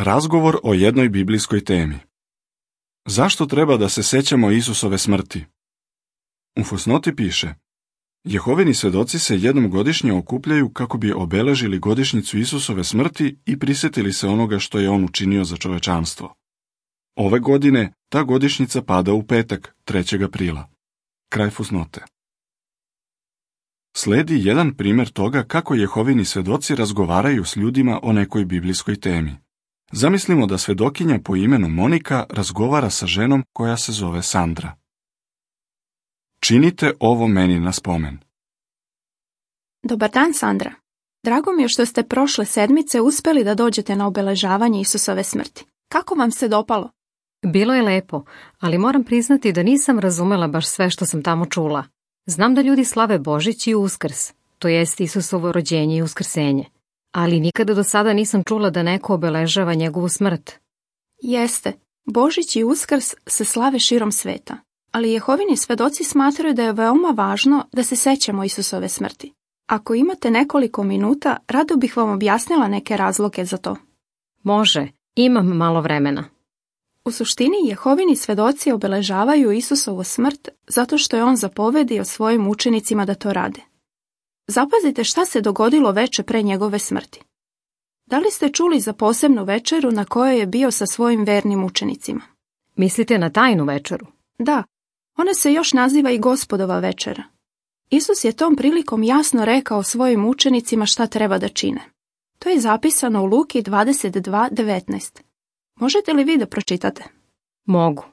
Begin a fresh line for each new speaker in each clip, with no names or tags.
Razgovor o jednoj biblijskoj temi. Zašto treba da se sećamo Isusove smrti? U fusnoti piše: Jehovini svedoci se jednom godišnje okupljaju kako bi obeležili godišnjicu Isusove smrti i prisjetili se onoga što je on učinio za čovečanstvo. Ove godine ta godišnjica pada u petak, 3. aprila. Kraj fusnote. Sledi jedan primjer toga kako Jehovini svedoci razgovaraju s ljudima o nekoj biblijskoj temi. Zamislimo da svedokinja po imenu Monika razgovara sa ženom koja se zove Sandra. Činite ovo meni na spomen.
Dobar dan, Sandra. Drago mi je što ste prošle sedmice uspjeli da dođete na obeležavanje Isusove smrti. Kako vam se dopalo?
Bilo je lepo, ali moram priznati da nisam razumela baš sve što sam tamo čula. Znam da ljudi slave Božić i Uskrs, to jest Isusovo rođenje i uskrsenje, ali nikada do sada nisam čula da neko obeležava njegovu smrt.
Jeste, Božić i Uskrs se slave širom sveta, ali Jehovini svedoci smatraju da je veoma važno da se sećamo Isusove smrti. Ako imate nekoliko minuta, rado bih vam objasnila neke razloge za to.
Može, imam malo vremena.
U suštini, Jehovini svedoci obeležavaju Isusovu smrt zato što je on zapovedio svojim učenicima da to rade. Zapazite šta se dogodilo veče pre njegove smrti. Da li ste čuli za posebnu večeru na kojoj je bio sa svojim vernim učenicima?
Mislite na tajnu večeru?
Da, ona se još naziva i Gospodova večera. Isus je tom prilikom jasno rekao svojim učenicima šta treba da čine. To je zapisano u Luki 22:19. Možete li vi da pročitate?
Mogu.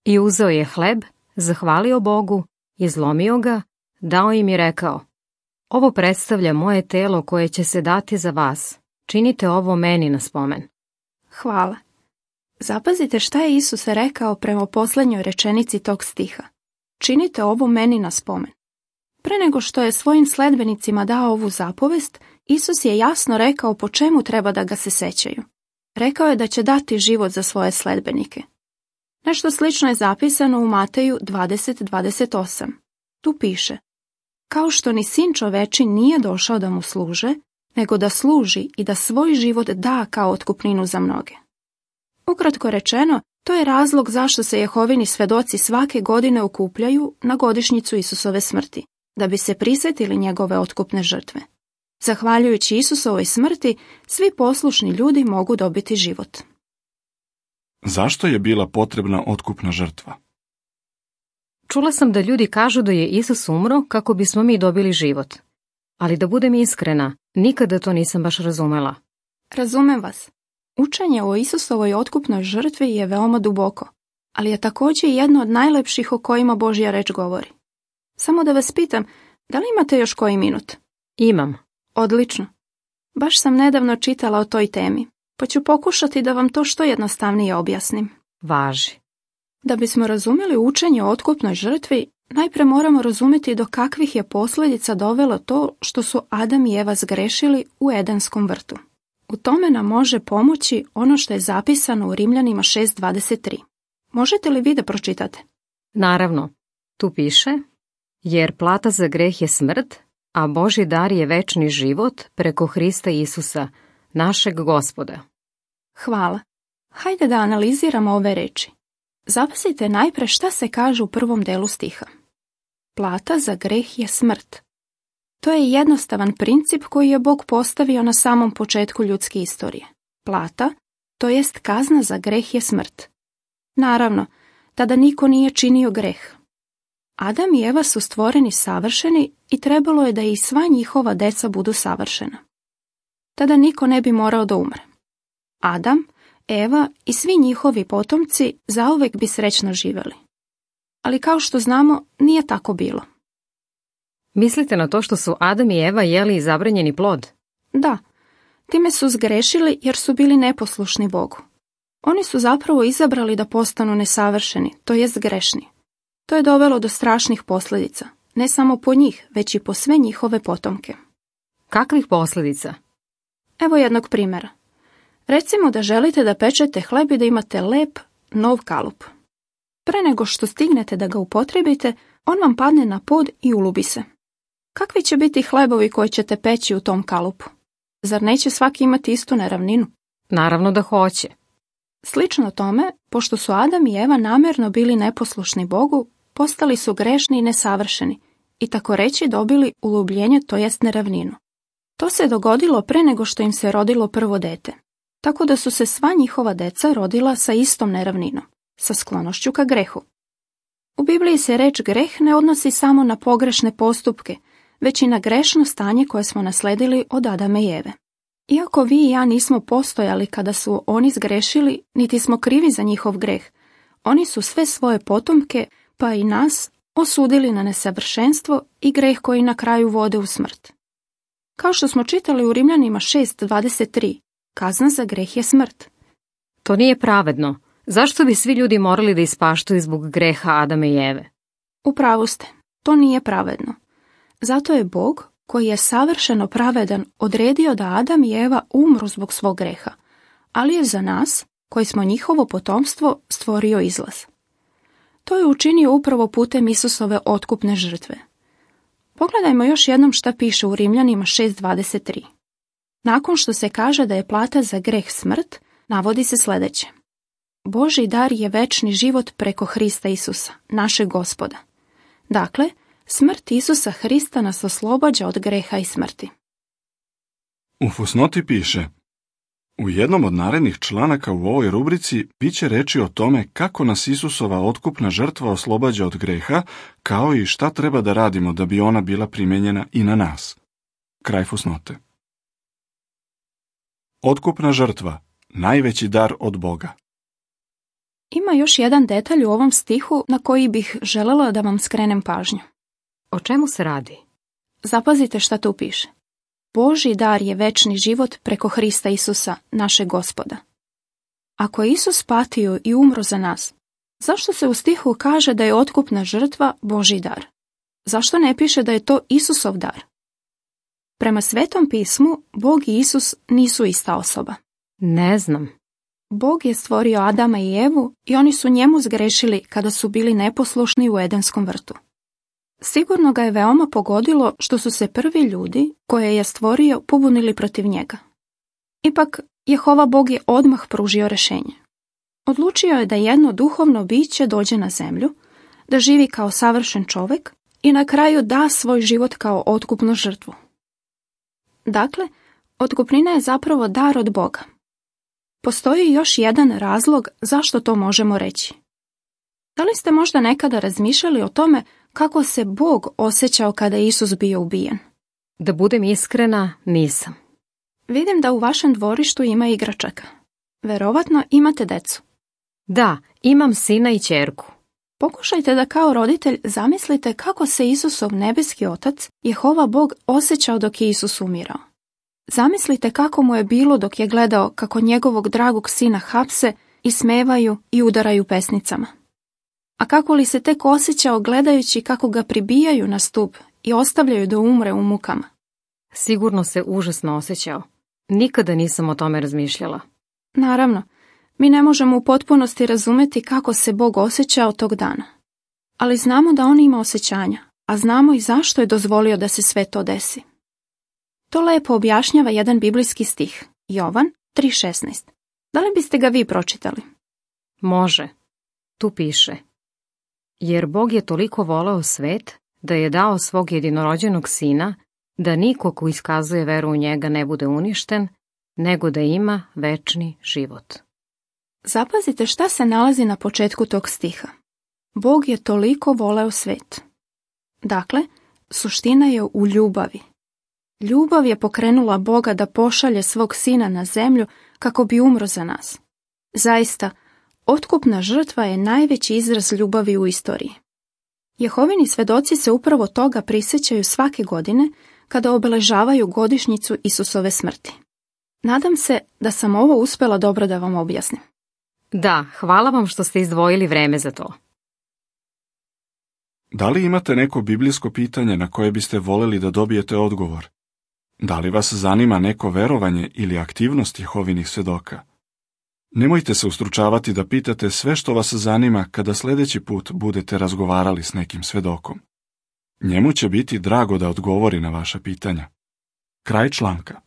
I uzeo je hleb, zahvalio Bogu, izlomio ga, dao im i rekao: Ovo predstavlja moje telo koje će se dati za vas. Činite ovo meni na spomen.
Hvala. Zapazite šta je Isus rekao prema posljednjoj rečenici tog stiha. Činite ovo meni na spomen. Pre nego što je svojim sledbenicima dao ovu zapovest, Isus je jasno rekao po čemu treba da ga se sećaju. Rekao je da će dati život za svoje sledbenike. Nešto slično je zapisano u Mateju 20:28. Tu piše: Kao što ni sin čoveči nije došao da mu služe, nego da služi i da svoj život da kao otkupninu za mnoge. Ukratko rečeno, to je razlog zašto se Jehovini svedoci svake godine okupljaju na godišnjicu Isusove smrti, da bi se prisjetili njegove otkupne žrtve. Zahvaljujući Isusovoj smrti, svi poslušni ljudi mogu dobiti život.
Zašto je bila potrebna otkupna žrtva?
Čula sam da ljudi kažu da je Isus umro kako bismo mi dobili život. Ali da budem iskrena, nikada to nisam baš razumela.
Razumem vas. Učenje o Isusovoj otkupnoj žrtvi je veoma duboko, ali je također jedno od najlepših o kojima Božja reč govori. Samo da vas pitam, da li imate još koji minut?
Imam.
Odlično. Baš sam nedavno čitala o toj temi, pa ću pokušati da vam to što jednostavnije objasnim.
Važi.
Da bismo razumjeli učenje o otkupnoj žrtvi, najprije moramo razumjeti do kakvih je posljedica dovelo to što su Adam i Eva zgrešili u Edenskom vrtu. U tome nam može pomoći ono što je zapisano u Rimljanima 6:23. Možete li vi da pročitate?
Naravno. Tu piše: Jer plata za greh je smrt, a Božji dar je večni život preko Hrista Isusa, našeg Gospoda.
Hvala. Hajde da analiziramo ove reči. Zapazite najpre šta se kaže u prvom delu stiha. Plata za greh je smrt. To je jednostavan princip koji je Bog postavio na samom početku ljudske istorije. Plata, to jest kazna za greh je smrt. Naravno, tada niko nije činio greh. Adam i Eva su stvoreni savršeni i trebalo je da i sva njihova deca budu savršena. Tada niko ne bi morao da umre. Adam, Eva i svi njihovi potomci zauvek bi srećno živjeli. Ali kao što znamo, nije tako bilo.
Mislite na to što su Adam i Eva jeli zabranjeni plod?
Da, time su zgrešili jer su bili neposlušni Bogu. Oni su zapravo izabrali da postanu nesavršeni, to jest grešni. To je dovelo do strašnih posljedica, ne samo po njih, već i po sve njihove potomke.
Kakvih posljedica?
Evo jednog primjera. Recimo da želite da pečete hleb i da imate lep, nov kalup. Pre nego što stignete da ga upotrijebite, on vam padne na pod i ulubi se. Kakvi će biti hlebovi koji ćete peći u tom kalupu? Zar neće svaki imati istu neravninu?
Naravno da hoće.
Slično tome, pošto su Adam i Eva namjerno bili neposlušni Bogu, postali su grešni i nesavršeni i tako reći dobili ulubljenje, to jest neravninu. To se dogodilo pre nego što im se rodilo prvo dete, tako da su se sva njihova deca rodila sa istom neravninom, sa sklonošću ka grehu. U Bibliji se reč greh ne odnosi samo na pogrešne postupke, već i na grešno stanje koje smo nasledili od Adama i Eve. Iako vi i ja nismo postojali kada su oni zgrešili, niti smo krivi za njihov greh, oni su sve svoje potomke, pa i nas, osudili na nesavršenstvo i greh koji na kraju vode u smrt. Kao što smo čitali u Rimljanima 6:23, kazna za greh je smrt.
To nije pravedno. Zašto bi svi ljudi morali da ispaštaju zbog greha Adama i Eve?
U pravu ste, to nije pravedno. Zato je Bog, koji je savršeno pravedan, odredio da Adam i Eva umru zbog svog greha, ali je za nas, koji smo njihovo potomstvo, stvorio izlaz. To je učinio upravo putem Isusove otkupne žrtve. Pogledajmo još jednom šta piše u Rimljanima 6:23. Nakon što se kaže da je plata za greh smrt, navodi se sljedeće. Božji dar je večni život preko Hrista Isusa, našeg Gospoda. Dakle, smrt Isusa Hrista nas oslobađa od greha i smrti.
U fusnoti piše: u jednom od narednih članaka u ovoj rubrici bit će reči o tome kako nas Isusova otkupna žrtva oslobađa od greha, kao i šta treba da radimo da bi ona bila primenjena i na nas. Kraj fusnote. Otkupna žrtva, najveći dar od Boga.
Ima još jedan detalj u ovom stihu na koji bih želela da vam skrenem pažnju.
O čemu se radi?
Zapazite šta tu piše. Božji dar je večni život preko Hrista Isusa, našeg Gospoda. Ako je Isus patio i umro za nas, zašto se u stihu kaže da je otkupna žrtva Božji dar? Zašto ne piše da je to Isusov dar? Prema Svetom pismu, Bog i Isus nisu ista osoba.
Ne znam.
Bog je stvorio Adama i Evu i oni su njemu zgrešili kada su bili neposlušni u Edenskom vrtu. Sigurno ga je veoma pogodilo što su se prvi ljudi koje je stvorio pobunili protiv njega. Ipak, Jehova Bog je odmah pružio rešenje. Odlučio je da jedno duhovno biće dođe na zemlju, da živi kao savršen čovjek i na kraju da svoj život kao otkupnu žrtvu. Dakle, otkupnina je zapravo dar od Boga. Postoji još jedan razlog zašto to možemo reći. Da li ste možda nekada razmišljali o tome kako se Bog osjećao kada je Isus bio ubijen?
Da budem iskrena, nisam.
Vidim da u vašem dvorištu ima igračaka. Verovatno imate decu.
Da, imam sina i ćerku.
Pokušajte da kao roditelj zamislite kako se Isusov nebeski otac, Jehova Bog, osjećao dok je Isus umirao. Zamislite kako mu je bilo dok je gledao kako njegovog dragog sina hapse, ismevaju i udaraju pesnicama. A kako li se tek osjećao gledajući kako ga pribijaju na stup i ostavljaju da umre u mukama?
Sigurno se užasno osjećao. Nikada nisam o tome razmišljala.
Naravno, mi ne možemo u potpunosti razumeti kako se Bog osjećao tog dana. Ali znamo da on ima osjećanja, a znamo i zašto je dozvolio da se sve to desi. To lepo objašnjava jedan biblijski stih, Jovan 3:16. Da li biste ga vi pročitali?
Može. Tu piše: jer Bog je toliko voleo svet da je dao svog jedinorođenog sina, da niko ko iskazuje veru u njega ne bude uništen, nego da ima večni život.
Zapazite šta se nalazi na početku tog stiha. Bog je toliko voleo svet. Dakle, suština je u ljubavi. Ljubav je pokrenula Boga da pošalje svog sina na zemlju kako bi umro za nas. Zaista, otkupna žrtva je najveći izraz ljubavi u istoriji. Jehovini svedoci se upravo toga prisjećaju svake godine kada obeležavaju godišnjicu Isusove smrti. Nadam se da sam ovo uspjela dobro da vam objasnim.
Da, hvala vam što ste izdvojili vreme za to.
Da li imate neko biblijsko pitanje na koje biste voljeli da dobijete odgovor? Da li vas zanima neko verovanje ili aktivnost Jehovinih svedoka? Nemojte se ustručavati da pitate sve što vas zanima kada sljedeći put budete razgovarali s nekim svedokom. Njemu će biti drago da odgovori na vaša pitanja. Kraj članka.